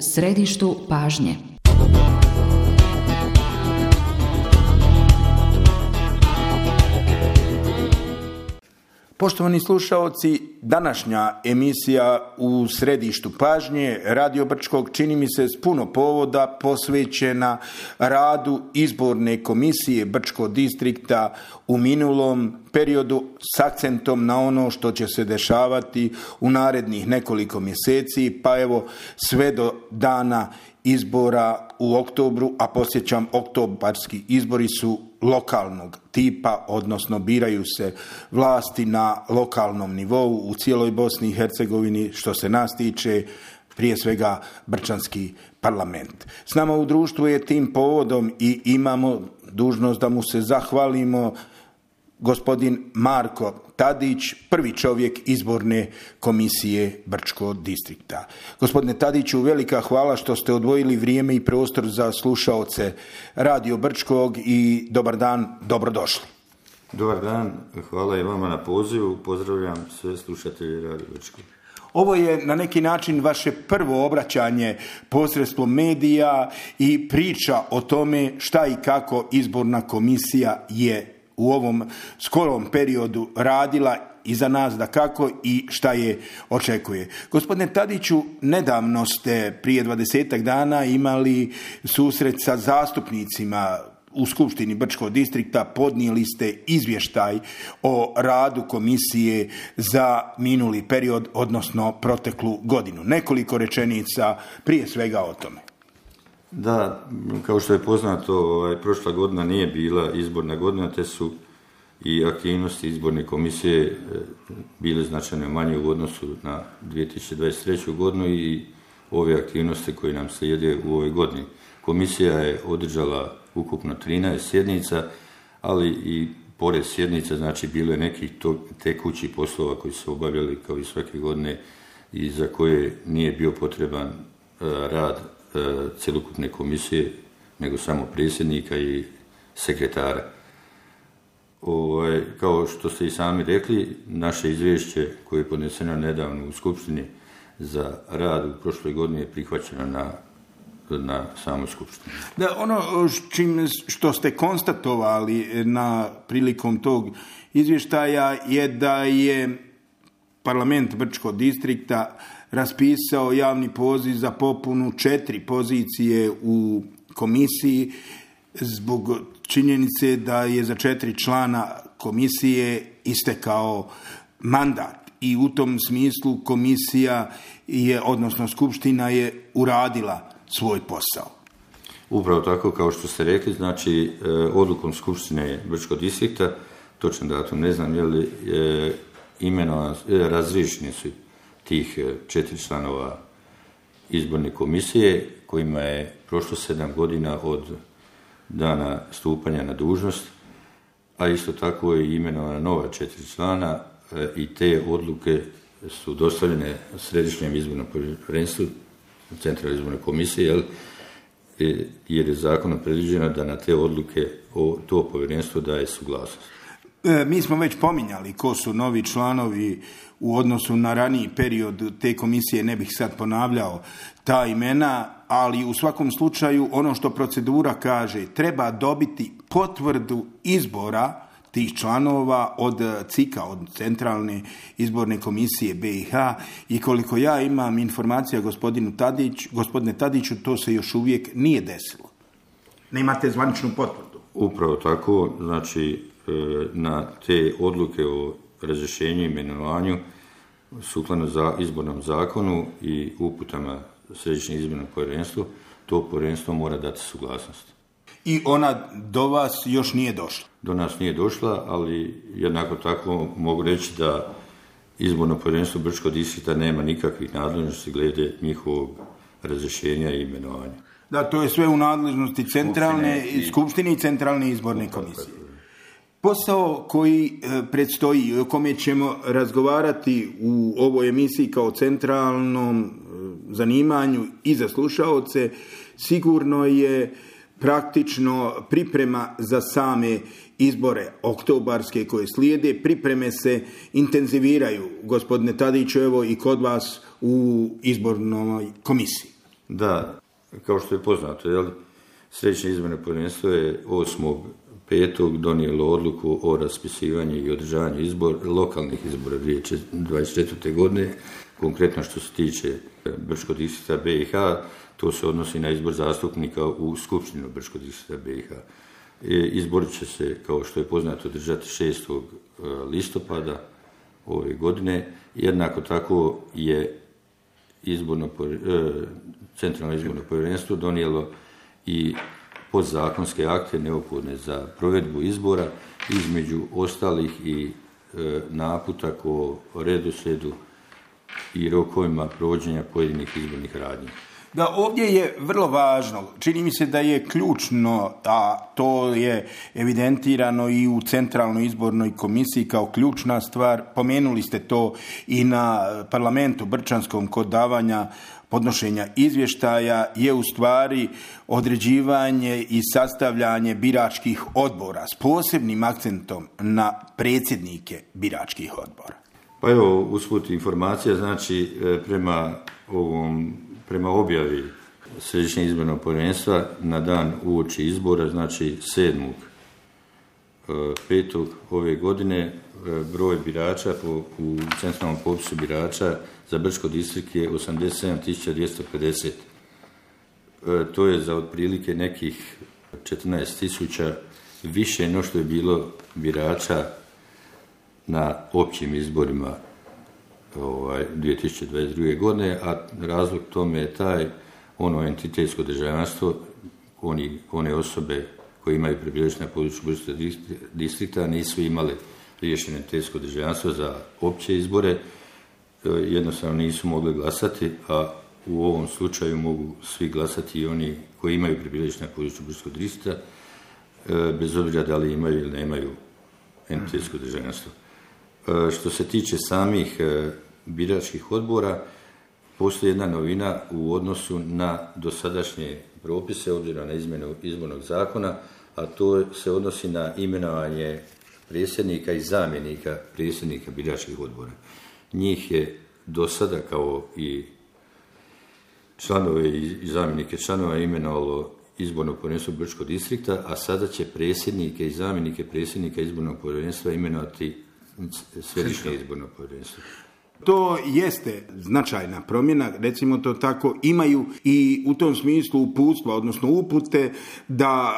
središtu pažnje. Poštovani slušaoci, današnja emisija u središtu pažnje Radio Brčkog čini mi se s puno povoda posvećena radu izborne komisije Brčkog distrikta u minulom periodu s akcentom na ono što će se dešavati u narednih nekoliko mjeseci, pa evo sve do dana izbora u oktobru, a podsjećam, oktobarski izbori su lokalnog tipa, odnosno biraju se vlasti na lokalnom nivou u cijeloj Bosni i Hercegovini, što se nas tiče, prije svega Brčanski parlament. S nama u društvu je tim povodom i imamo dužnost da mu se zahvalimo gospodin Marko Tadić, prvi čovjek izborne komisije Brčkog distrikta. Gospodine Tadiću, velika hvala što ste odvojili vrijeme i prostor za slušaoce Radio Brčkog i dobar dan, dobrodošli. Dobar dan, hvala i vama na pozivu, pozdravljam sve slušatelje Radio Brčkog. Ovo je na neki način vaše prvo obraćanje posredstvom medija i priča o tome šta i kako izborna komisija je u ovom skorom periodu radila i za nas dakako i šta je očekuje. Gospodine Tadiću, nedavno ste prije 20 dana imali susret sa zastupnicima u Skupštini Brčkog distrikta, podnijeli ste izvještaj o radu komisije za minuli period, odnosno proteklu godinu. Nekoliko rečenica prije svega o tome. Da, kao što je poznato, prošla godina nije bila izborna godina, te su i aktivnosti izborne komisije bile značajno manje u odnosu na 2023. godinu i ove aktivnosti koje nam slijede u ovoj godini. Komisija je održala ukupno 13 sjednica, ali i pored sjednica, znači bilo je nekih tekućih poslova koji su obavljali kao i svake godine i za koje nije bio potreban rad cjelokupne komisije, nego samo predsjednika i sekretara. Kao što ste i sami rekli, naše izvješće koje je podneseno nedavno u Skupštini za rad u prošloj godini je prihvaćeno na samoj Skupštini. Da, ono što ste konstatovali prilikom tog izvještaja je da je parlament Brčkog distrikta raspisao javni poziv za popunu 4 pozicije u komisiji zbog činjenice da je za 4 člana komisije istekao mandat i u tom smislu komisija je, odnosno Skupština je uradila svoj posao. Upravo tako kao što ste rekli, znači odlukom Skupštine Brčkog distrikta, točan datum ne znam, razriješeni su tih 4 članova izborne komisije kojima je prošlo 7 godina od dana stupanja na dužnost, a isto tako je imenovana nova 4 člana i te odluke su dostavljene Središnjem izbornom povjerenstvu Centralne izborne komisije, jer je zakonom predviđeno da na te odluke to povjerenstvo daje suglasnost. Mi smo već pominjali ko su novi članovi u odnosu na raniji period te komisije, ne bih sad ponavljao ta imena, ali u svakom slučaju ono što procedura kaže, treba dobiti potvrdu izbora tih članova od CIK-a, od Centralne izborne komisije BiH, i koliko ja imam informacija gospodine Tadiću, to se još uvijek nije desilo. Nemate zvaničnu potvrdu. Upravo tako, znači na te odluke o razrješenju i imenovanju sukladno za izbornom zakonu i uputama Središnjeg izbornog povjerenstva, to povjerenstvo mora dati suglasnost. I ona do vas još nije došla? Do nas nije došla, ali jednako tako mogu reći da izborno povjerenstvo Brčkog distrikta nema nikakvih nadležnosti glede njihovog razrješenja i imenovanja. Da, to je sve u nadležnosti Skupštine i Centralne izborne komisije. Posao koji predstoji i o kome ćemo razgovarati u ovoj emisiji kao centralnom zanimanju i za slušaoce, sigurno je praktično priprema za same izbore oktobarske koje slijede. Pripreme se intenziviraju, gospodine Tadiću, evo i kod vas u izbornoj komisiji. Da, kao što je poznato, Središnje izborno povjerenstvo je 8.5. donijelo odluku o raspisivanju i održavanju lokalnih izbora 2024. godine, konkretno što se tiče Brčkog distrikta BiH, to se odnosi na izbor zastupnika u Skupštinu Brčkog distrikta BiH. Izbor će se, kao što je poznato, održati 6. listopada ove godine. Jednako tako je Centralno izborno povjerenstvo donijelo i podzakonske akte neophodne za provedbu izbora, između ostalih i naputak o redoslijedu i rokovima provođenja pojedinih izbornih radnji. Da, ovdje je vrlo važno, čini mi se da je ključno, a to je evidentirano i u Centralnoj izbornoj komisiji kao ključna stvar, pomenuli ste to i na parlamentu brčanskom kod davanja podnošenja izvještaja, je u stvari određivanje i sastavljanje biračkih odbora s posebnim akcentom na predsjednike biračkih odbora. Pa evo, usput informacija, znači prema objavi Središnjeg izbornog povjerenstva na dan uoči izbora, znači 7.5. ove godine, broj birača u centralnom popisu birača za Brčko distrikt je 87.250. To je za otprilike nekih 14.000 više no što je bilo birača na općim izborima 2022. godine, a razlog tome je entitetsko državljanstvo, one osobe koje imaju prebivalište na području Brčkog distrikta nisu imale riješeno entitetsko državljanstvo za opće izbore, jednostavno nisu mogli glasati, a u ovom slučaju mogu svi glasati i oni koji imaju prebivalište na području Brčkog distrikta, bez obzira da li imaju ili nemaju entitetsko državljanstvo. Što se tiče samih biračkih odbora, postoji jedna novina u odnosu na dosadašnje propise, obzirom na izmjenu izbornog zakona, a to se odnosi na imenovanje predsjednika i zamjenika predsjednika biračkih odbora. Njih je do sada, kao i članove i zamjenike članova, imenovalo izborno povjerenstvo Brčkog distrikta, a sada će predsjednike i zamjenike predsjednika izbornog povjerenstva imenovati Središnje izborno povjerenstvo. To jeste značajna promjena, recimo to tako, imaju i u tom smislu uputstva, odnosno upute da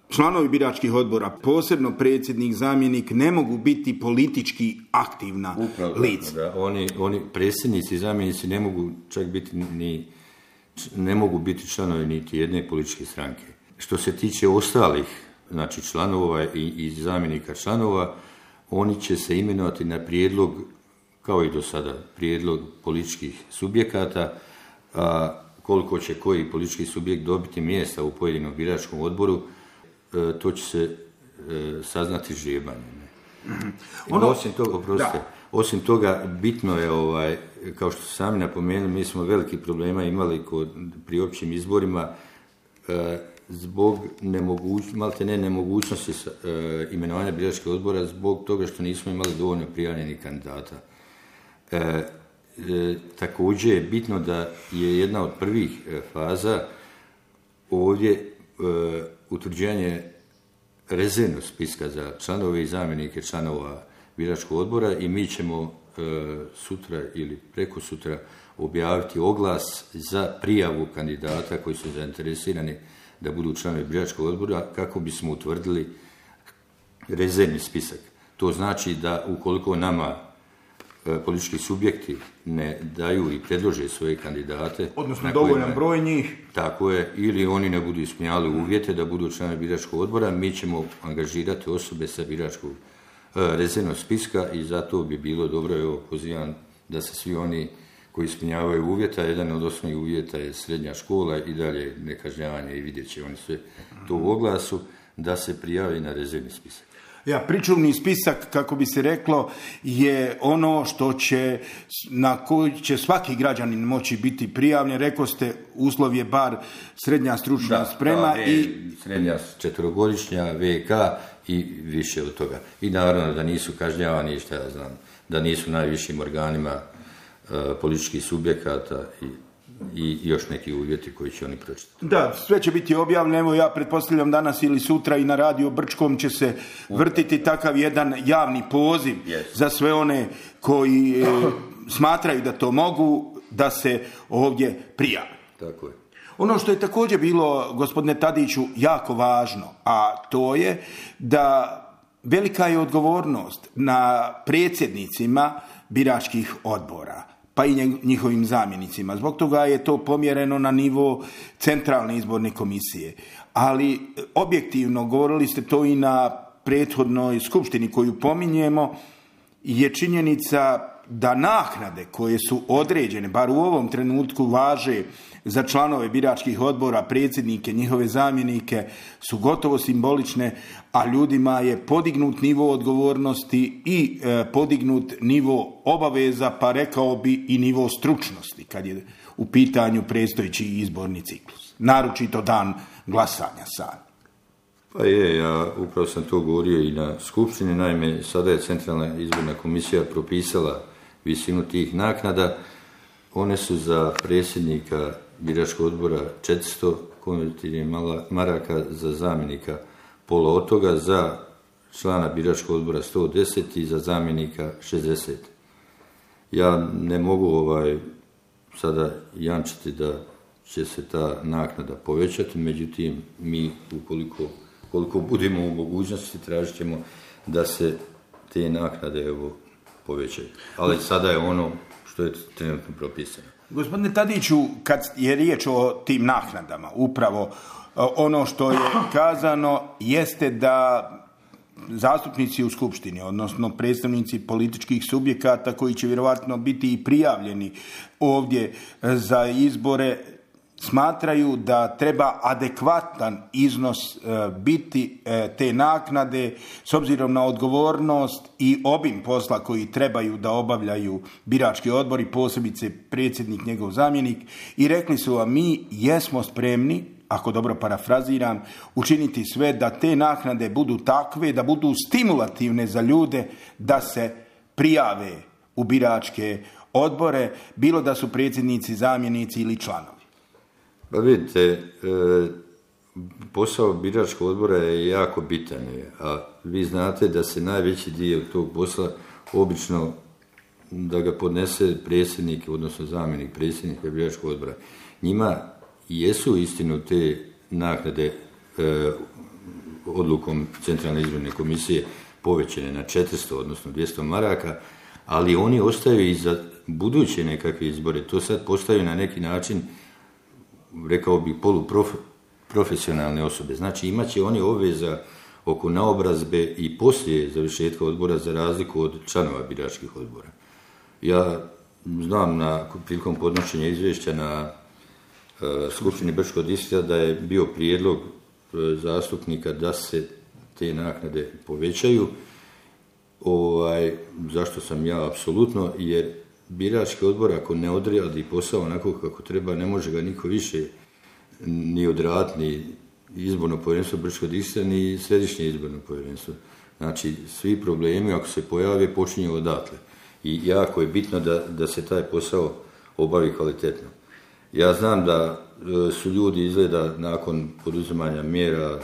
članovi biračkih odbora, posebno predsjednik, zamjenik, ne mogu biti politički aktivna lica. Da, oni predsjednici i zamjenici ne mogu čak biti ne mogu biti članovi niti jedne političke stranke. Što se tiče ostalih, znači članova i zamjenika članova, oni će se imenovati na prijedlog, kao i do sada, prijedlog političkih subjekata, a koliko će koji politički subjekt dobiti mjesta u pojedinom biračkom odboru, to će se saznati žrebanjem. Osim toga, bitno je, kao što ste sami napomenuli, mi smo veliki problema imali pri općim izborima zbog nemogućnosti imenovanja biračkih odbora, zbog toga što nismo imali dovoljno prijavljenih kandidata. Također je bitno da je jedna od prvih faza ovdje utvrđivanje rezervnog spiska za članove i zamjenike članova biračkog odbora i mi ćemo sutra ili preko sutra objaviti oglas za prijavu kandidata koji su zainteresirani da budu članovi biračkog odbora kako bismo utvrdili rezervni spisak. To znači da ukoliko nama politički subjekti ne daju i predlože svoje kandidate, odnosno dovoljan broj njih, tako je, ili oni ne budu ispunjavali uvjete da budu članovi biračkog odbora, mi ćemo angažirati osobe sa biračkog rezervnog spiska i zato bi bilo dobro, pozivam da se svi oni koji ispunjavaju uvjeta, jedan od osnovnih uvjeta je srednja škola i dalje nekažnjavanje i vidjet će oni sve to u oglasu, da se prijavi na rezervni spisak. Pričuvni spisak, kako bi se reklo, je ono na koji će svaki građanin moći biti prijavljen. Rekao ste, uslov je bar srednja stručna sprema i srednja 4-godišnja VK i više od toga. I naravno da nisu kažnjavani, da nisu najvišim organima političkih subjekata i i još neki uvjeti koji će oni pročitati. Da, sve će biti objavljeno. Evo ja pretpostavljam danas ili sutra i na Radio Brčkom će se vrtiti takav jedan javni poziv za sve one koji smatraju da to mogu, da se ovdje prijave. Tako je. Ono što je također bilo, gospodine Tadiću, jako važno, a to je da velika je odgovornost na predsjednicima biračkih odbora, pa i njihovim zamjenicima. Zbog toga je to pomjereno na nivo Centralne izborne komisije. Ali objektivno, govorili ste to i na prethodnoj skupštini koju pominjemo, je činjenica da naknade koje su određene, bar u ovom trenutku važe za članove biračkih odbora, predsjednike, njihove zamjenike, su gotovo simbolične, a ljudima je podignut nivo odgovornosti i podignut nivo obaveza, pa rekao bi i nivo stručnosti kad je u pitanju predstojeći izborni ciklus. Naročito dan glasanja sad. Pa ja upravo sam to govorio i na skupštini. Naime, sada je Centralna izborna komisija propisala visinu tih naknada. One su za predsjednika biračkog odbora 400 konvertibilnih maraka, za zamjenika pola od toga, za člana biračkog odbora 110 i za zamjenika 60. Ja ne mogu sada jamčiti da će se ta naknada povećati, međutim mi koliko budemo u mogućnosti tražit ćemo da se te naknade povećaju. Ali sada je ono što je trenutno propisano. Gospodine Tadiću, kad je riječ o tim naknadama, upravo ono što je kazano jeste da zastupnici u skupštini, odnosno predstavnici političkih subjekata koji će vjerojatno biti i prijavljeni ovdje za izbore, smatraju da treba adekvatan iznos biti te naknade s obzirom na odgovornost i obim posla koji trebaju da obavljaju birački odbori, posebice predsjednik, njegov zamjenik, i rekli su vam mi jesmo spremni, ako dobro parafraziram, učiniti sve da te naknade budu takve, da budu stimulativne za ljude da se prijave u biračke odbore, bilo da su predsjednici, zamjenici ili članovi. Pa vidite, posao biračkog odbora je jako bitan, a vi znate da se najveći dio tog posla obično da ga podnese predsjednik, odnosno zamjenik predsjednika biračkog odbora. Njima jesu istinu te naknade odlukom Centralne izborne komisije povećane na 400, odnosno 200 maraka, ali oni ostaju i za buduće nekakve izbore. To sad postaju na neki način, rekao bih, poluprofesionalne osobe. Znači imat će oni obveza oko naobrazbe i poslije završetka odbora, za razliku od članova biračkih odbora. Ja znam prilikom podnošenja izvješća na Skupštini Brčkog distrikta da je bio prijedlog zastupnika da se te naknade povećaju. Zašto sam ja apsolutno, jer birački odbor ako ne odradi posao onako kako treba, ne može ga niko više ni odraditi, ni izborno povjerenstvo Brčkog distrikta, ni središnje izborno povjerenstvo. Znači, svi problemi ako se pojave počinju odatle. I jako je bitno da se taj posao obavi kvalitetno. Ja znam da su ljudi izgleda nakon poduzimanja mjera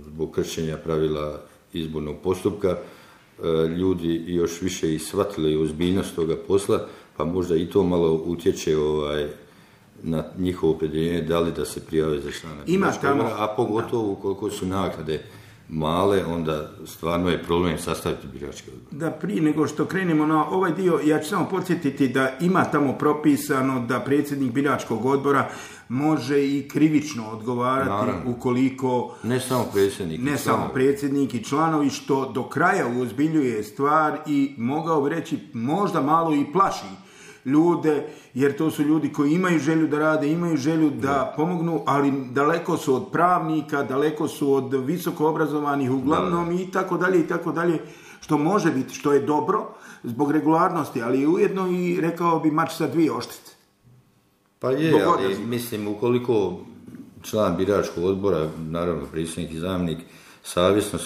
zbog kršenja pravila izbornog postupka, ljudi još više i shvatili ozbiljnost toga posla, pa možda i to malo utječe na njihovo opredjeljenje da li da se prijave za člana biračkog odbora, a pogotovo ukoliko su naknade male, onda stvarno je problem sastaviti birački odbor. Da, prije nego što krenemo na ovaj dio, ja ću samo podsjetiti da ima tamo propisano da predsjednik biračkog odbora može i krivično odgovarati. Naravno. Ukoliko... Ne samo predsjednik i članovi, što do kraja uozbiljuje stvar i mogao bi reći možda malo i plaši ljude, jer to su ljudi koji imaju želju da rade, imaju želju da pomognu, ali daleko su od pravnika, daleko su od visoko obrazovanih uglavnom i tako dalje, što može biti, što je dobro zbog regularnosti, ali ujedno i rekao bi mač sa dvije oštrice. Pa je, ali mislim ukoliko član biračkog odbora, naravno predsjednik i zamjenik, savjesno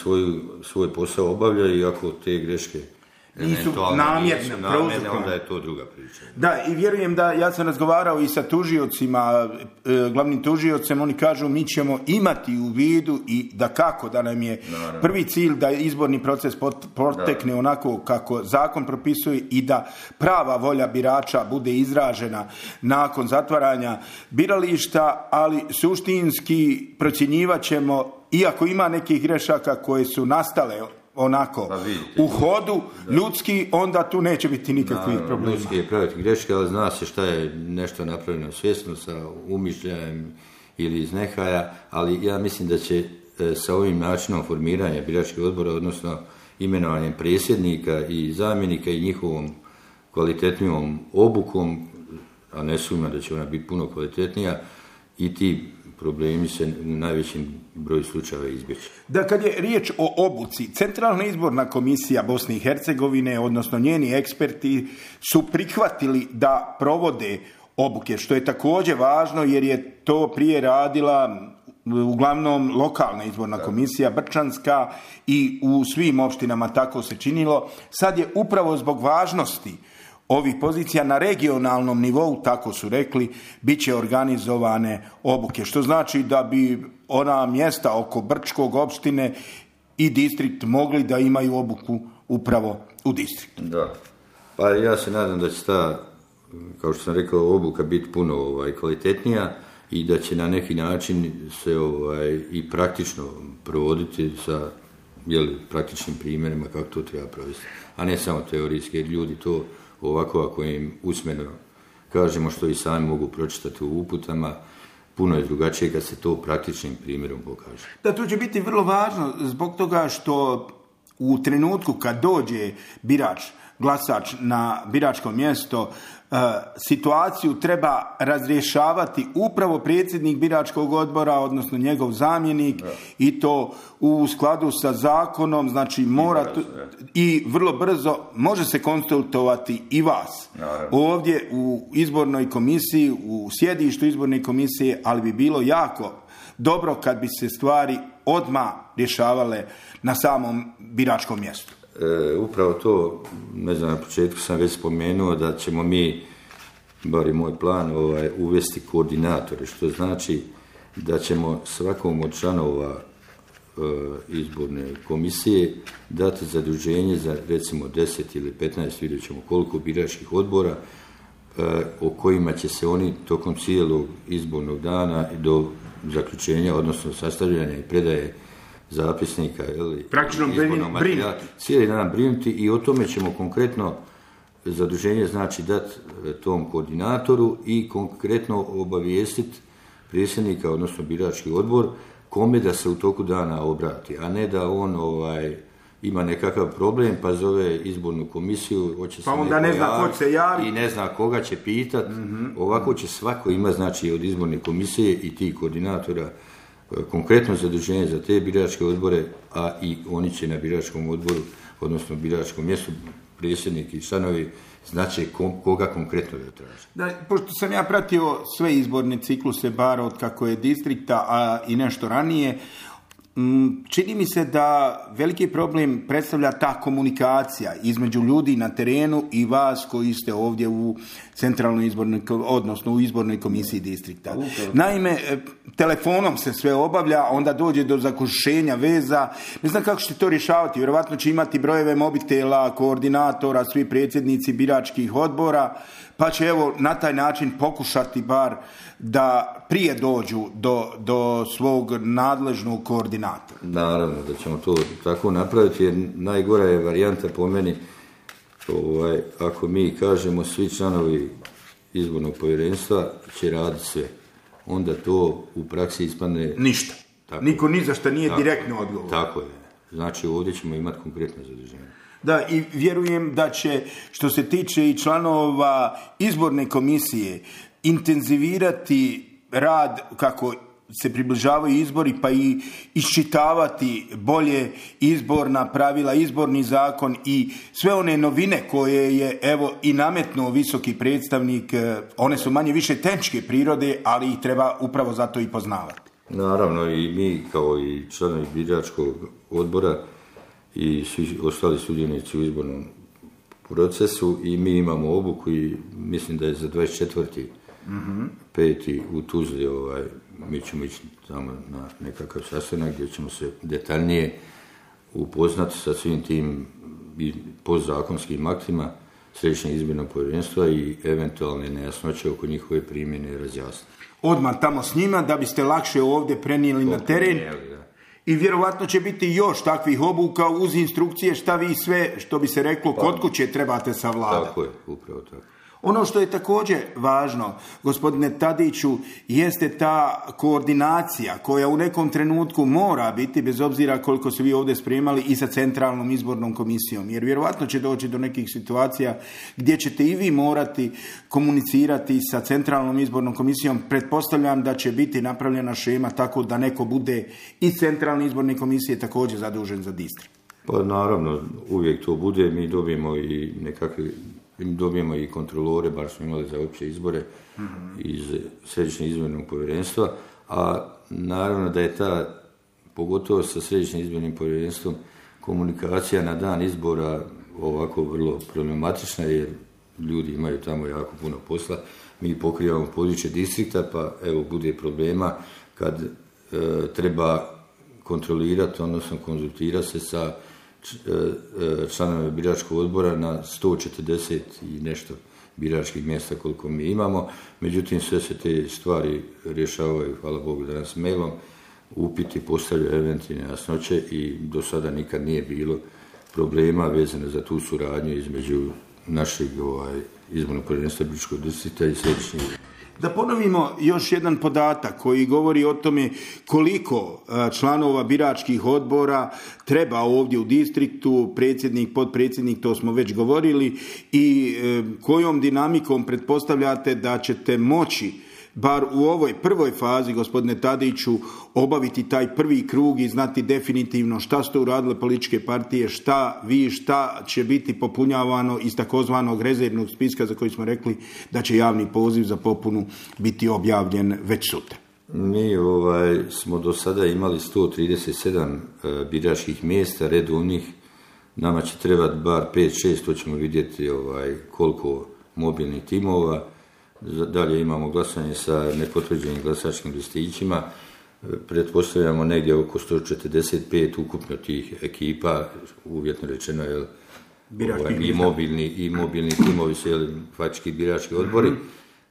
svoj posao obavljaju i ako te greške nisu namjerne, onda je to druga priča. Da, i vjerujem da, ja sam razgovarao i sa tužiocima, glavnim tužiocem, oni kažu mi ćemo imati u vidu i da kako, da nam je prvi cilj da izborni proces protekne onako kako zakon propisuje i da prava volja birača bude izražena nakon zatvaranja birališta, ali suštinski procjenjivat ćemo, iako ima nekih grešaka koje su nastale onako u hodu ljudski, onda tu neće biti nikakvih problema. Ljudski je praviti greške, ali zna se šta je nešto napravljeno svjesno sa umišljajem ili iz nehaja, ali ja mislim da će sa ovim načinom formiranja biračkih odbora, odnosno imenovanjem predsjednika i zamjenika i njihovom kvalitetnijom obukom, a ne sumnjam da će ona biti puno kvalitetnija, i ti problemi se u najvećem broju slučajeva izbjeći. Da, kad je riječ o obuci, Centralna izborna komisija Bosne i Hercegovine, odnosno njeni eksperti, su prihvatili da provode obuke, što je također važno jer je to prije radila uglavnom lokalna izborna komisija Brčanska i u svim opštinama tako se činilo. Sad je upravo zbog važnosti ovih pozicija na regionalnom nivou, tako su rekli, bit će organizovane obuke, što znači da bi ona mjesta oko Brčkog opštine i distrikt mogli da imaju obuku upravo u distriktu. Da, pa ja se nadam da će ta, kao što sam rekao, obuka biti puno kvalitetnija i da će na neki način se i praktično provoditi sa praktičnim primjerima kako to treba provesti, a ne samo teorijski, jer ljudi to ovako ako im usmeno kažemo što i sami mogu pročitati u uputama, puno je drugačije kad se to praktičnim primjerom pokaže. Da, to će biti vrlo važno zbog toga što u trenutku kad dođe birač, glasač na biračko mjesto, situaciju treba razrješavati upravo predsjednik biračkog odbora, odnosno njegov zamjenik, i to u skladu sa zakonom, znači mora i vrlo brzo može se konsultovati i vas. Ovdje u izbornoj komisiji, u sjedištu izborne komisije, ali bi bilo jako dobro kad bi se stvari odmah rješavale na samom biračkom mjestu. Upravo to, ne znam, na početku sam već spomenuo da ćemo mi, bar je moj plan, uvesti koordinatore, što znači da ćemo svakom od članova izborne komisije dati zaduženje za recimo 10 ili 15, vidjet ćemo koliko biračkih odbora, o kojima će se oni tokom cijelog izbornog dana do zaključenja, odnosno sastavljanja i predaje zapisnika, praktično brinuti. Cijeli dan brinuti i o tome ćemo konkretno zaduženje znači dati tom koordinatoru i konkretno obavijestiti predsjednika, odnosno birački odbor, kome da se u toku dana obrati, a ne da on ima nekakav problem pa zove izbornu komisiju, hoće se onda ne zna ko će se javi i ne zna koga će pitati. Ovako će svako ima znači od izborne komisije i tih koordinatora konkretno zaduženje za te biračke odbore, a i oni će na biračkom odboru, odnosno biračkom mjestu, predsjednik i članovi, znači koga konkretno da traže. Da, pošto sam ja pratio sve izborne cikluse, bar od kako je distrikta, a i nešto ranije, čini mi se da veliki problem predstavlja ta komunikacija između ljudi na terenu i vas koji ste ovdje u centralnoj izbornoj, odnosno u izbornoj komisiji distrikta. Naime, telefonom se sve obavlja, onda dođe do zakušenja veza. Ne znam kako ćete to rješavati. Vjerovatno će imati brojeve mobitela, koordinatora, svi predsjednici biračkih odbora, pa će evo na taj način pokušati bar da prije dođu do svog nadležnog koordinatora. Naravno da ćemo to tako napraviti, jer najgora je varijanta po meni, ako mi kažemo svi članovi izbornog povjerenstva će raditi sve, onda to u praksi ispadne ništa. Tako. Niko ni za što nije direktno odgovor. Tako je. Znači ovdje ćemo imati konkretno zaduženje. Da, i vjerujem da će, što se tiče i članova izborne komisije, intenzivirati rad kako se približavaju izbori, pa i iščitavati bolje izborna pravila, izborni zakon i sve one novine koje je evo i nametnuo visoki predstavnik. One su manje više tehničke prirode, ali ih treba upravo zato i poznavati. Naravno i mi kao i članovi biračkog odbora i svi ostali sudionici u izbornom procesu i mi imamo obuku i mislim da je za 24. 5. u Tuzli, mi ćemo ići tamo na nekakav sastanak gdje ćemo se detaljnije upoznati sa svim tim podzakonskim aktima Središnjeg izbornog povjerenstva i eventualne nejasnoće oko njihove primjene razjasniti. Odmah tamo s njima da biste lakše ovdje prenijeli na teren. I vjerovatno će biti još takvih obuka uz instrukcije šta vi sve, što bi se reklo, kod kuće trebate savladati. Tako je, upravo tako. Ono što je također važno, gospodine Tadiću, jeste ta koordinacija koja u nekom trenutku mora biti, bez obzira koliko se vi ovdje spremali, i sa Centralnom izbornom komisijom. Jer vjerovatno će doći do nekih situacija gdje ćete i vi morati komunicirati sa Centralnom izbornom komisijom. Pretpostavljam da će biti napravljena šema tako da neko bude iz Centralne izborne komisije također zadužen za distrikt. Pa naravno, uvijek to bude. Mi dobijemo i kontrolore, bar smo imali za opće izbore iz Središnjeg izbornog povjerenstva, a naravno da je ta, pogotovo sa Središnjim izbornim povjerenstvom, komunikacija na dan izbora ovako vrlo problematična, jer ljudi imaju tamo jako puno posla. Mi pokrivamo područje distrikta, pa evo bude problema kad treba kontrolirati, odnosno konzultirati se sa članove biračkog odbora na 140 i nešto biračkih mjesta koliko mi imamo. Međutim, sve se te stvari rješavaju, hvala Bogu, danas mailom, upiti postavljaju eventualne nejasnoće i do sada nikad nije bilo problema vezano za tu suradnju između našeg izbornog povjerenstva biračkog distrikta i središnjeg. Da ponovimo još jedan podatak koji govori o tome koliko članova biračkih odbora treba ovdje u distriktu, predsjednik, potpredsjednik, to smo već govorili, i kojom dinamikom pretpostavljate da ćete moći, bar u ovoj prvoj fazi, gospodine Tadiću, obaviti taj prvi krug i znati definitivno šta ste uradile političke partije, šta će biti popunjavano iz takozvanog rezervnog spiska za koji smo rekli da će javni poziv za popunu biti objavljen već sutra. Mi smo do sada imali 137 biračkih mjesta redovnih. Nama će trebati bar 5-6, to ćemo vidjeti koliko mobilnih timova. Dalje imamo glasanje sa nepotvrđenim glasačkim listićima. Pretpostavljamo negdje oko 145 ukupno tih ekipa, uvjetno rečeno, i mobilni timovi su faktički birački odbori.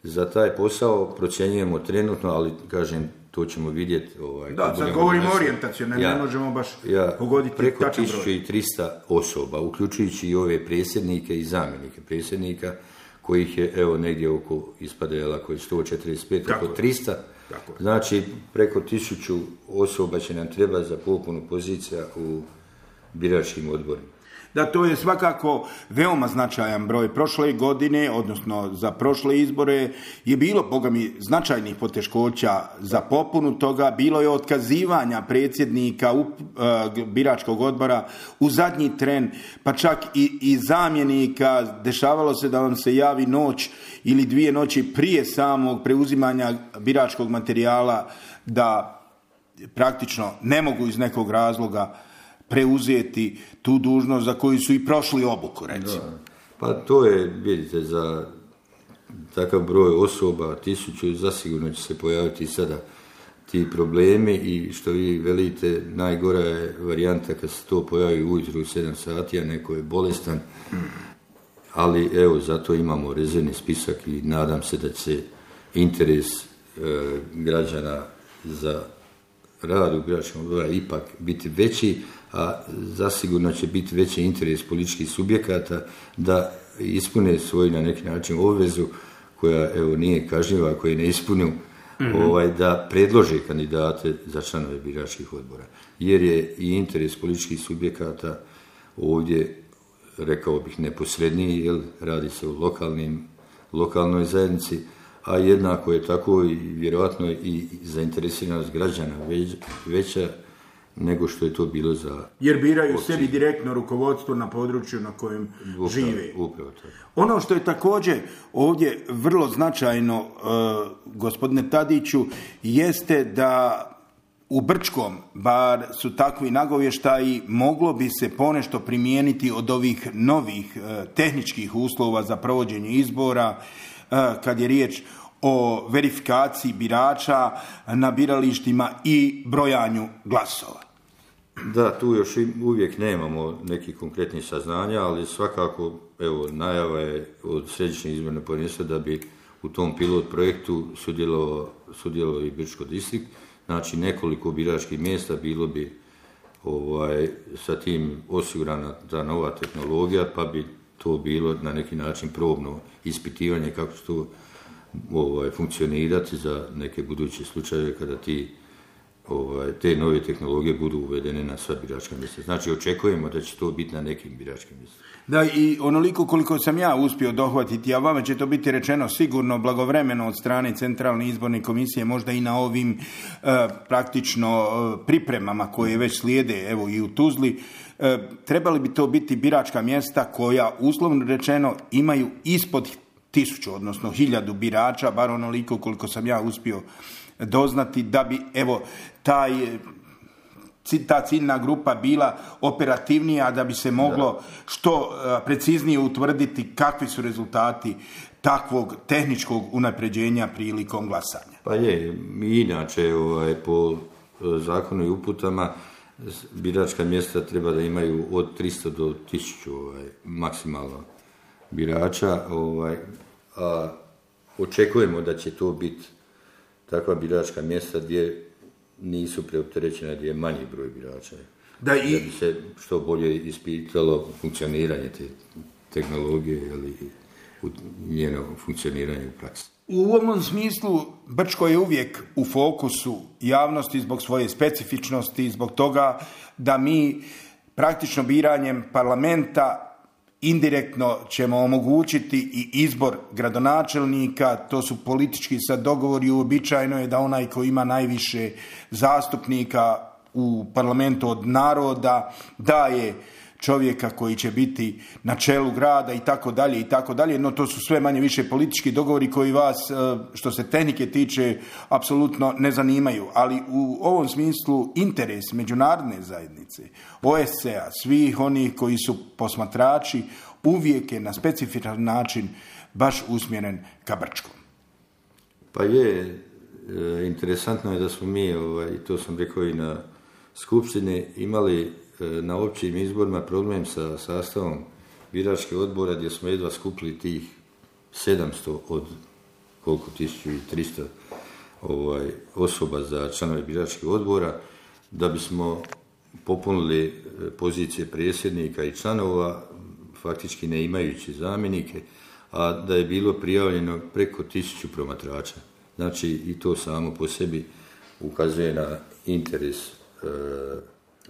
Za taj posao procjenjujemo trenutno, ali kažem, to ćemo vidjeti. Sad govorimo orijentacijno, ne možemo baš pogoditi preko tačan broj. 1300 osoba, uključujući i ove predsjednike i zamjenike predsjednika, kojih je negdje oko, ispada ako je 145, oko 300. Znači, preko 1000 osoba će nam trebati za popunu pozicija u biračkim odborima. Da, to je svakako veoma značajan broj. Prošle godine, odnosno za prošle izbore, je bilo, bogami, značajnih poteškoća za popunu toga. Bilo je otkazivanja predsjednika biračkog odbora u zadnji tren, pa čak i zamjenika. Dešavalo se da vam se javi noć ili 2 noći prije samog preuzimanja biračkog materijala da praktično ne mogu iz nekog razloga preuzeti tu dužnost za koju su i prošli obuku, recimo. Da. Pa to je, vidite, za takav broj osoba, 1000, zasigurno će se pojaviti sada ti problemi i što vi velite, najgora je varijanta kad se to pojavi ujutro u 7 sati, a neko je bolestan, ali evo, zato imamo rezervni spisak i nadam se da će interes građana za rad u biračkom odboru ipak biti veći, a zasigurno će biti veći interes političkih subjekata da ispune svoju na neki način obvezu koja nije kažnjiva, koja ne ispune, da predlože kandidate za članove biračkih odbora. Jer je i interes političkih subjekata ovdje, rekao bih, neposredniji, jer radi se o lokalnoj zajednici, a jednako je tako i vjerojatno i zainteresiranost građana veća nego što je to bilo za... Jer biraju sebi direktno rukovodstvo na području na kojem žive. Upravo tako. Ono što je također ovdje vrlo značajno, gospodine Tadiću, jeste da u Brčkom, bar su takvi nagovještaji, moglo bi se ponešto primijeniti od ovih novih tehničkih uslova za provođenje izbora, kad je riječ o verifikaciji birača na biralištima i brojanju glasova. Da, tu još uvijek nemamo nekih konkretnih saznanja, ali svakako, evo, najava je od Središnjeg izbornog povjerenstva da bi u tom pilot projektu sudjelovao i Brčko distrikt. Znači, nekoliko biračkih mjesta bilo bi sa tim osigurana ta nova tehnologija, pa bi to bilo na neki način probno ispitivanje kako će to funkcionirati za neke buduće slučajeve kada te nove tehnologije budu uvedene na sva biračka mjesta. Znači, očekujemo da će to biti na nekim biračkim mjestima. Da, i onoliko koliko sam ja uspio dohvatiti, a vama će to biti rečeno sigurno blagovremeno od strane Centralne izborne komisije, možda i na ovim praktično pripremama koje već slijede, evo i u Tuzli, trebali bi to biti biračka mjesta koja, uslovno rečeno, imaju ispod 1000, odnosno 1000 birača, bar onoliko koliko sam ja uspio doznati, da bi, evo, ta ciljna grupa bila operativnija, da bi se moglo što preciznije utvrditi kakvi su rezultati takvog tehničkog unapređenja prilikom glasanja. Pa je, inače po zakonu i uputama biračka mjesta treba da imaju od 300 do 1000 maksimalno birača, a očekujemo da će to biti takva biračka mjesta gdje nisu preopterećena, gdje je manji broj birača. Da bi se što bolje ispitalo funkcioniranje te tehnologije ili njeno funkcioniranje u praksi. U ovom smislu Brčko je uvijek u fokusu javnosti zbog svoje specifičnosti, zbog toga da mi praktično biranjem parlamenta indirektno ćemo omogućiti i izbor gradonačelnika. To su politički sad dogovori, uobičajeno je da onaj koji ima najviše zastupnika u parlamentu od naroda daje čovjeka koji će biti na čelu grada i tako dalje, no to su sve manje više politički dogovori koji vas, što se tehnike tiče, apsolutno ne zanimaju. Ali u ovom smislu interes međunarodne zajednice, OSCE-a, svih onih koji su posmatrači, uvijek je na specifičan način baš usmjeren ka Brčkom. Pa je, interesantno je da smo mi, to sam rekao i na skupštini, imali na općim izborima problem sa sastavom biračkih odbora gdje smo jedva skupili tih 700 od koliko 1300 osoba za članove biračkih odbora, da bismo popunili pozicije predsjednika i članova, faktički ne imajući zamjenike, a da je bilo prijavljeno preko 1000 promatrača. Znači, i to samo po sebi ukazuje na interes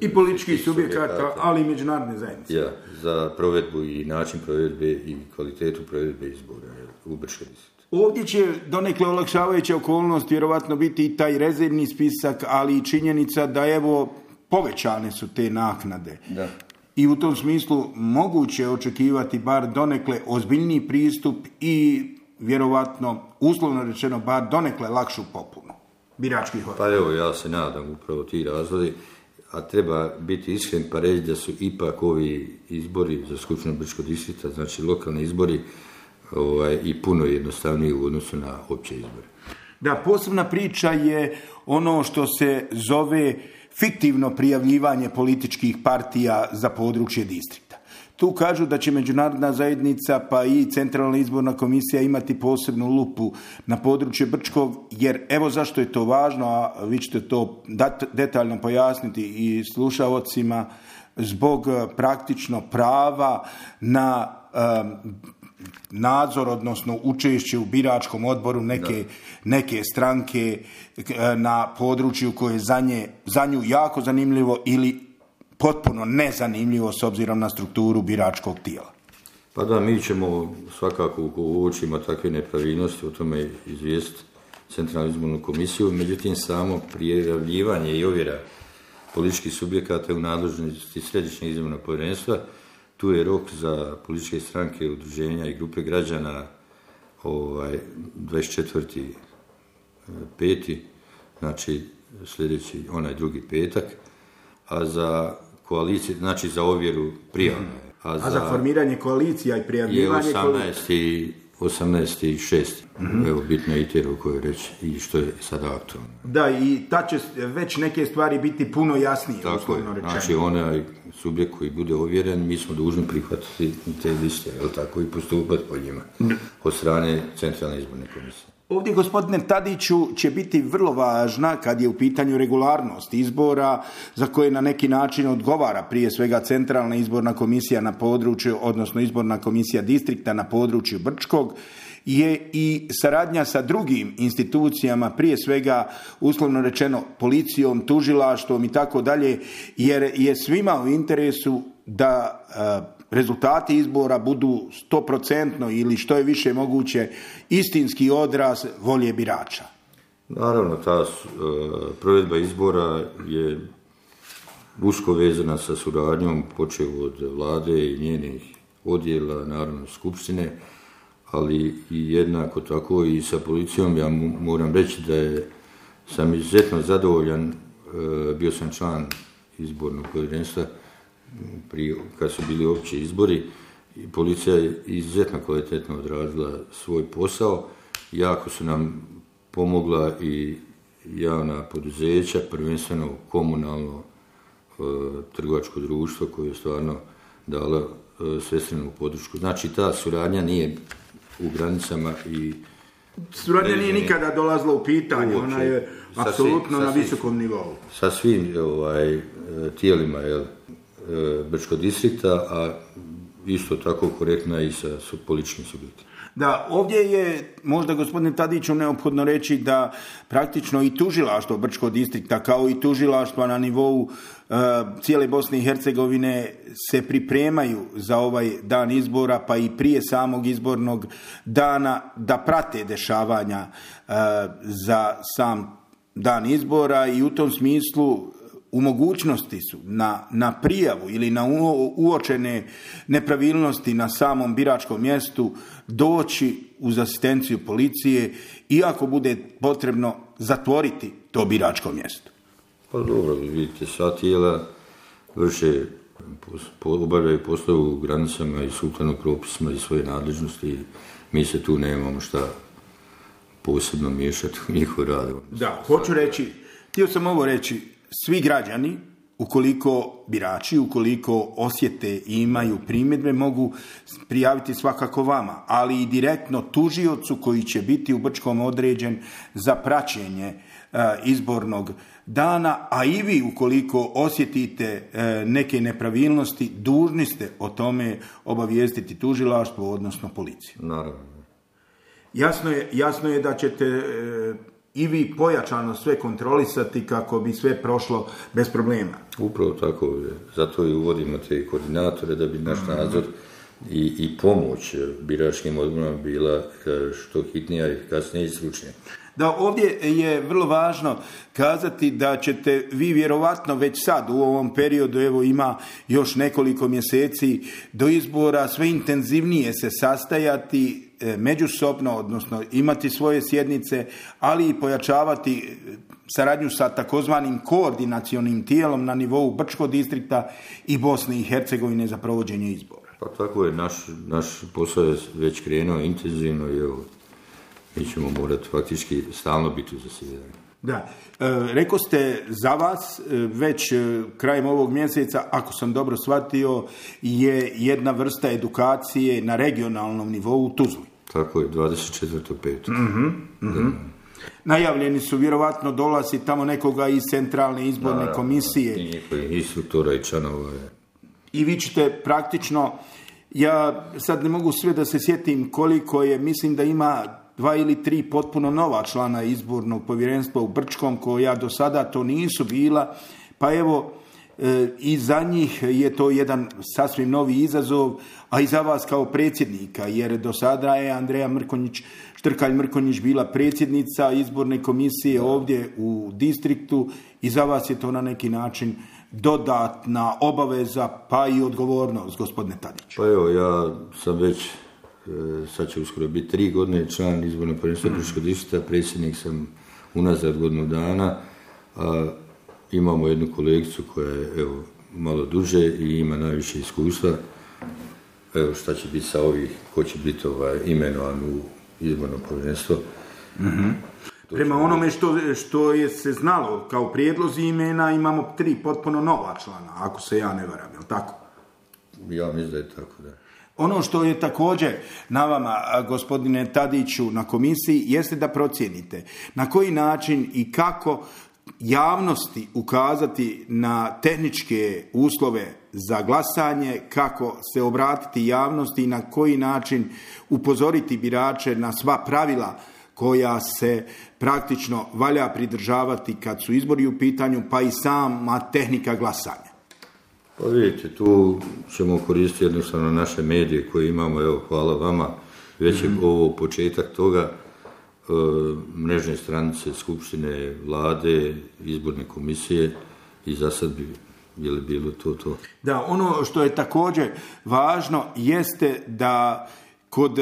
i političkih subjekata, ali i međunarodne zajednice. Ja, za provedbu i način provedbe i kvalitetu provedbe izbora u Brčkom distriktu. Ovdje će donekle olakšavajuća okolnost vjerovatno biti i taj rezervni spisak, ali i činjenica da evo povećane su te naknade. Da. I u tom smislu moguće očekivati bar donekle ozbiljniji pristup i vjerovatno, uslovno rečeno, bar donekle lakšu popunu biračkih odbora. Pa evo, ja se nadam upravo ti razlozi, a treba biti iskren pa reći da su ipak ovi izbori za Skupštinu Brčkog distrikta, znači lokalni izbori, i puno jednostavniji u odnosu na opće izbore. Da, posebna priča je ono što se zove fiktivno prijavljivanje političkih partija za područje distrikta. Tu kažu da će međunarodna zajednica pa i Centralna izborna komisija imati posebnu lupu na područje Brčkog, jer evo zašto je to važno, a vi ćete to detaljno pojasniti i slušaocima, zbog praktično prava na nadzor, odnosno učešće u biračkom odboru neke stranke na području koje je za nju jako zanimljivo ili potpuno nezanimljivo s obzirom na strukturu biračkog tijela. Pa da, mi ćemo svakako uočimo takve nepravilnosti, o tome izvijestiti Centralnu izbornu komisiju, međutim samo prijavljivanje i ovjera političkih subjekata u nadležnosti Središnjeg izbornog povjerenstva. Tu je rok za političke stranke, udruženja i grupe građana 24.5. Znači, sljedeći, onaj drugi petak, a za koalicije, znači za ovjeru prijava. A za formiranje koalicija i prijavljivanje je 18.6. Evo, bitno je i te rokove reći i što je sada aktualno. Da, i ta će već neke stvari biti puno jasnije. Tako je, znači onaj subjekt koji bude ovjeren, mi smo dužni prihvatiti te liste, jel tako, i postupati po njima od strane Centralne izborne komisije. Ovdje, gospodine Tadiću, će biti vrlo važna kad je u pitanju regularnost izbora za koje na neki način odgovara prije svega Centralna izborna komisija na području, odnosno izborna komisija distrikta na području Brčkog, je i saradnja sa drugim institucijama, prije svega uslovno rečeno policijom, tužilaštvom i tako dalje, jer je svima u interesu da rezultati izbora budu 100% ili što je više moguće istinski odraz volje birača. Naravno, ta provedba izbora je usko vezana sa suradnjom, počev od vlade i njenih odjela, naravno skupštine, ali i jednako tako i sa policijom. Ja moram reći da sam izuzetno zadovoljan, bio sam član izbornog povjerenstva kad su bili opći izbori, i policija je izuzetno kvalitetno odradila svoj posao. Jako su nam pomogla i javna poduzeća, prvenstveno komunalno trgovačko društvo koje je stvarno dalo svestrenu podršku. Znači, ta suradnja nije u granicama i... Suradnja nije nikada dolazila u pitanje, ona je apsolutno na visokom nivou. Sa svim tijelima, Brčkog distrikta, a isto tako korektna i sa političkim subjektima. Da, ovdje je možda, gospodine Tadiću, neophodno reći da praktično i tužilaštvo Brčkog distrikta, kao i tužilaštva na nivou cijele Bosne i Hercegovine, se pripremaju za ovaj dan izbora, pa i prije samog izbornog dana, da prate dešavanja za sam dan izbora, i u tom smislu u mogućnosti su na prijavu ili na uočene nepravilnosti na samom biračkom mjestu doći uz asistenciju policije, iako bude potrebno zatvoriti to biračko mjesto. Pa dobro, vidite, sva tijela vrše, obavljaju poslove u granicama i sukladno propisima i svoje nadležnosti. Mi se tu nemamo šta posebno miješati u njihov rad. Da, htio sam ovo reći, svi građani, ukoliko birači, ukoliko osjete i imaju primjedbe, mogu prijaviti svakako vama, ali i direktno tužiocu koji će biti u Brčkom određen za praćenje izbornog dana, a i vi, ukoliko osjetite neke nepravilnosti, dužni ste o tome obavijestiti tužilaštvo, odnosno policiju. Naravno. Jasno je da ćete i vi pojačano sve kontrolisati kako bi sve prošlo bez problema. Upravo tako, zato i uvodimo te koordinatore, da bi naš nadzor i pomoć biračkim odborima bila što hitnija, efikasnija i stručnija. Da, ovdje je vrlo važno kazati da ćete vi vjerovatno već sad u ovom periodu, evo ima još nekoliko mjeseci do izbora, sve intenzivnije se sastajati međusobno, odnosno imati svoje sjednice, ali i pojačavati saradnju sa takozvanim koordinacionim tijelom na nivou Brčkog distrikta i Bosne i Hercegovine za provođenje izbora. Pa tako je, naš posao je već krenuo intenzivno i evo, mi ćemo morati faktički stalno biti u zasjedanju. Da, rekao ste za vas već krajem ovog mjeseca, ako sam dobro shvatio, je jedna vrsta edukacije na regionalnom nivou u Tuzli. Tako je, 24.5. Najavljeni su vjerovatno dolazi tamo nekoga iz Centralne izborne komisije. I njihovih instruktora i članova. I vi ćete praktično, ja sad ne mogu sve da se sjetim koliko je, mislim da ima 2 ili 3 potpuno nova člana izbornog povjerenstva u Brčkom, koja do sada to nisu bila, pa evo i za njih je to jedan sasvim novi izazov, a i za vas kao predsjednika, jer do sada je Andreja Štrkalj Mrkonjić bila predsjednica izborne komisije ovdje u distriktu, i za vas je to na neki način dodatna obaveza, pa i odgovornost, gospodine Tadić. Pa evo, ja sam već, sad će uskoro biti 3 godine član izbornog povjerenstva Brčkog distrikta, predsjednik sam unazad godinu dana, a imamo jednu kolegicu koja je evo, malo duže i ima najviše iskustva. Evo šta će biti sa ovih, ko će biti imenovan u izborno povjerenstvo. Mm-hmm. Prema onome što je se znalo kao prijedlozi imena, imamo 3 potpuno nova člana, ako se ja ne varam, je li tako? Ja mislim da je tako, da. Ono što je također na vama, gospodine Tadiću, na komisiji, jeste da procijenite na koji način i kako javnosti ukazati na tehničke uslove za glasanje, kako se obratiti javnosti i na koji način upozoriti birače na sva pravila koja se praktično valja pridržavati kad su izbori u pitanju, pa i sama tehnika glasanja. Pa vidite, tu ćemo koristiti jednostavno naše medije koje imamo, evo, hvala vama, već je ovo početak toga, mrežne stranice Skupštine, Vlade, izborne komisije i za sad bi je li bilo to. Da, ono što je također važno jeste da kod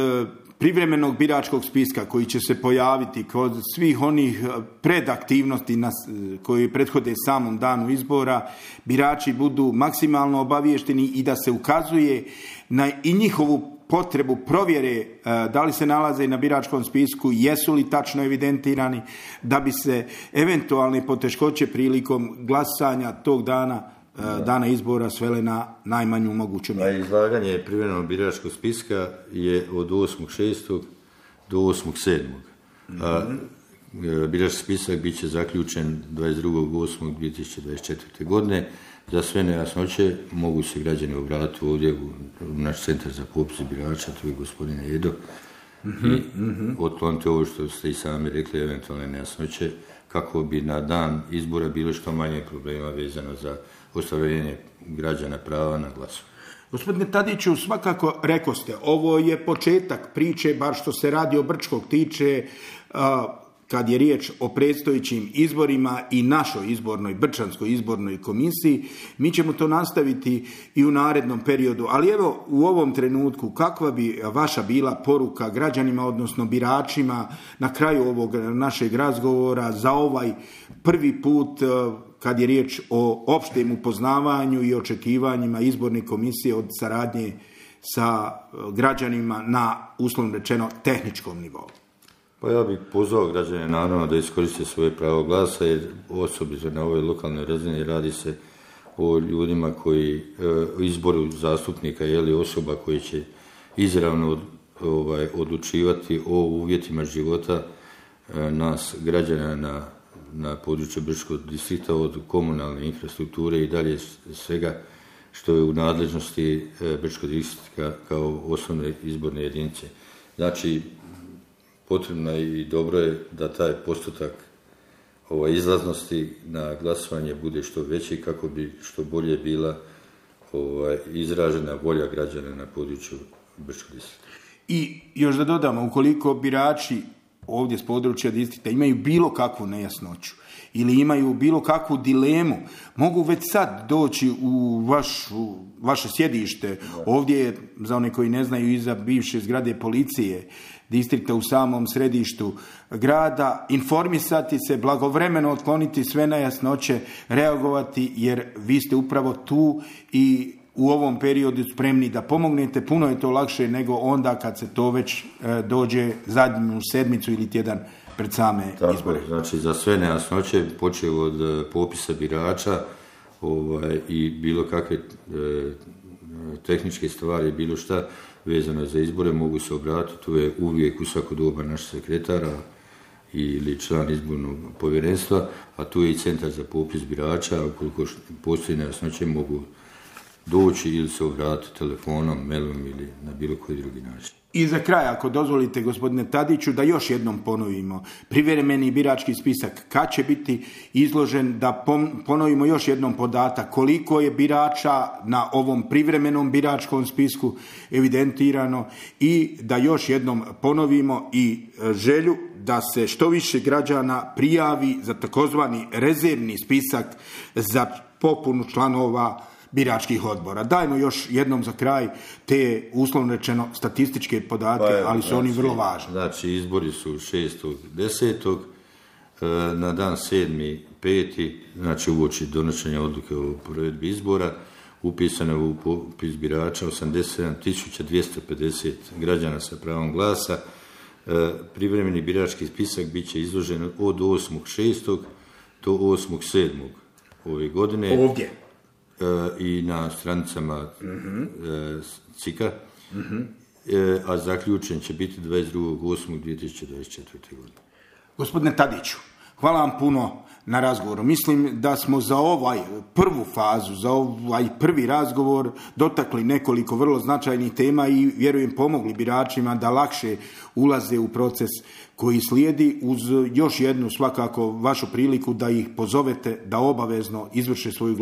privremenog biračkog spiska koji će se pojaviti kod svih onih predaktivnosti koji prethode samom danu izbora, birači budu maksimalno obaviješteni i da se ukazuje na i njihovu potrebu provjere da li se nalaze na biračkom spisku, jesu li tačno evidentirani, da bi se eventualne poteškoće prilikom glasanja tog dana izbora svele na najmanju moguću mjeru. Izlaganje privremenog biračkog spiska je od 8.6. do 8.7. Birački spisak bit će zaključen 22.8.2024. godine. Za sve nejasnoće mogu se građani obratiti ovdje u naš centar za popis birača, tu je gospodine Edo, i otkloniti ovo što ste i sami rekli, eventualne nejasnoće, kako bi na dan izbora bilo što manje problema vezano za ostvarenje građana prava na glasu. Gospodine Tadiću, svakako rekoste, ovo je početak priče, bar što se radi o Brčkog tiče, kad je riječ o predstojećim izborima i našoj izbornoj, Brčanskoj izbornoj komisiji. Mi ćemo to nastaviti i u narednom periodu, ali evo u ovom trenutku kakva bi vaša bila poruka građanima, odnosno biračima na kraju ovog našeg razgovora za ovaj prvi put kad je riječ o opštem upoznavanju i očekivanjima izborne komisije od saradnje sa građanima na, uslovno rečeno, tehničkom nivou? Pa ja bih pozvao građane naravno da iskoriste svoje pravo glasa, jer osobito na ovoj lokalnoj razini radi se o ljudima koji izboru zastupnika ili osoba koji će izravno odlučivati o uvjetima života nas građana na području Brčkog distrikta, od komunalne infrastrukture i dalje svega što je u nadležnosti Brčkog distrikta kao osnovne izborne jedinice. Znači, potrebno je i dobro je da taj postotak izlaznosti na glasovanje bude što veći kako bi što bolje bila izražena volja građana na području Brčkog distrikta. I još da dodamo, ukoliko birači ovdje s područja distrikta imaju bilo kakvu nejasnoću ili imaju bilo kakvu dilemu, mogu već sad doći u vaše sjedište. Ovdje je, za one koji ne znaju, iza bivše zgrade policije distrikta u samom središtu grada, informisati se, blagovremeno otkloniti sve nejasnoće, reagovati, jer vi ste upravo tu i u ovom periodu spremni da pomognete. Puno je to lakše nego onda kad se to već dođe zadnju sedmicu ili tjedan pred same izbore. Znači, za sve nejasnoće, počeo od popisa birača i bilo kakve tehničke stvari, bilo šta vezano za izbore, mogu se obratiti. Tu je uvijek u svako doba naš sekretara ili član izbornog povjerenstva, a tu je i centar za popis birača. Ukoliko postoji nejasnoće, mogu doći ili se obratiti telefonom, mailom ili na bilo koji drugi način. I za kraj, ako dozvolite, gospodine Tadiću, da još jednom ponovimo privremeni birački spisak kad će biti izložen, da ponovimo još jednom podatak koliko je birača na ovom privremenom biračkom spisku evidentirano i da još jednom ponovimo i želju da se što više građana prijavi za takozvani rezervni spisak za popunu članova biračkih odbora. Dajmo još jednom za kraj te, uslovno rečeno, statističke podatke, ali su oni vrlo važni. Znači, izbori su 6.10. na dan 7.5., znači uoči donošenja odluke o provedbi izbora, upisano je u popis birača 87.250 građana sa pravom glasa. Privremeni birački spisak bit će izložen od 8.6. do 8.7. ove godine. Ovdje. I na stranicama CIK-a, a zaključen će biti 22.8.2024. godine. Gospodine Tadiću, hvala vam puno na razgovoru. Mislim da smo za prvu fazu, za ovaj prvi razgovor dotakli nekoliko vrlo značajnih tema i vjerujem pomogli biračima da lakše ulaze u proces koji slijedi, uz još jednu svakako vašu priliku da ih pozovete da obavezno izvrše svoju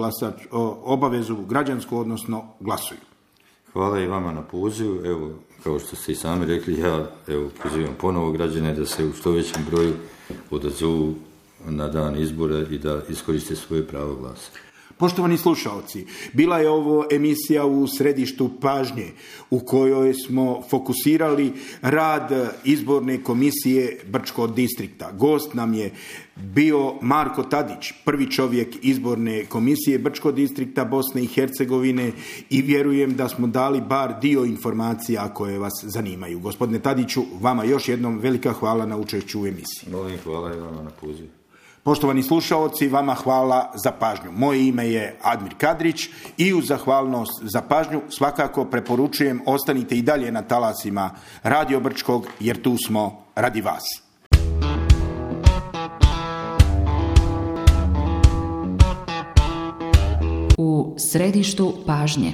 obavezu građansku, odnosno glasuju. Hvala i vama na pozivu. Evo, kao što ste i sami rekli, ja pozivam ponovo građane da se u što većem broju odazovu na dan izbora i da iskoriste svoje pravo glasa. Poštovani slušalci, bila je ovo emisija u središtu pažnje u kojoj smo fokusirali rad izborne komisije Brčkog distrikta. Gost nam je bio Marko Tadić, prvi čovjek izborne komisije Brčkog distrikta Bosne i Hercegovine, i vjerujem da smo dali bar dio informacija koje vas zanimaju. Gospodine Tadiću, vama još jednom velika hvala na učešću u emisiji. Molim, hvala i vama na pozivu. Poštovani slušaoci, vama hvala za pažnju. Moje ime je Admir Kadrić i uz zahvalnost za pažnju svakako preporučujem ostanite i dalje na talasima Radio Brčkog, jer tu smo radi vas. U središtu pažnje.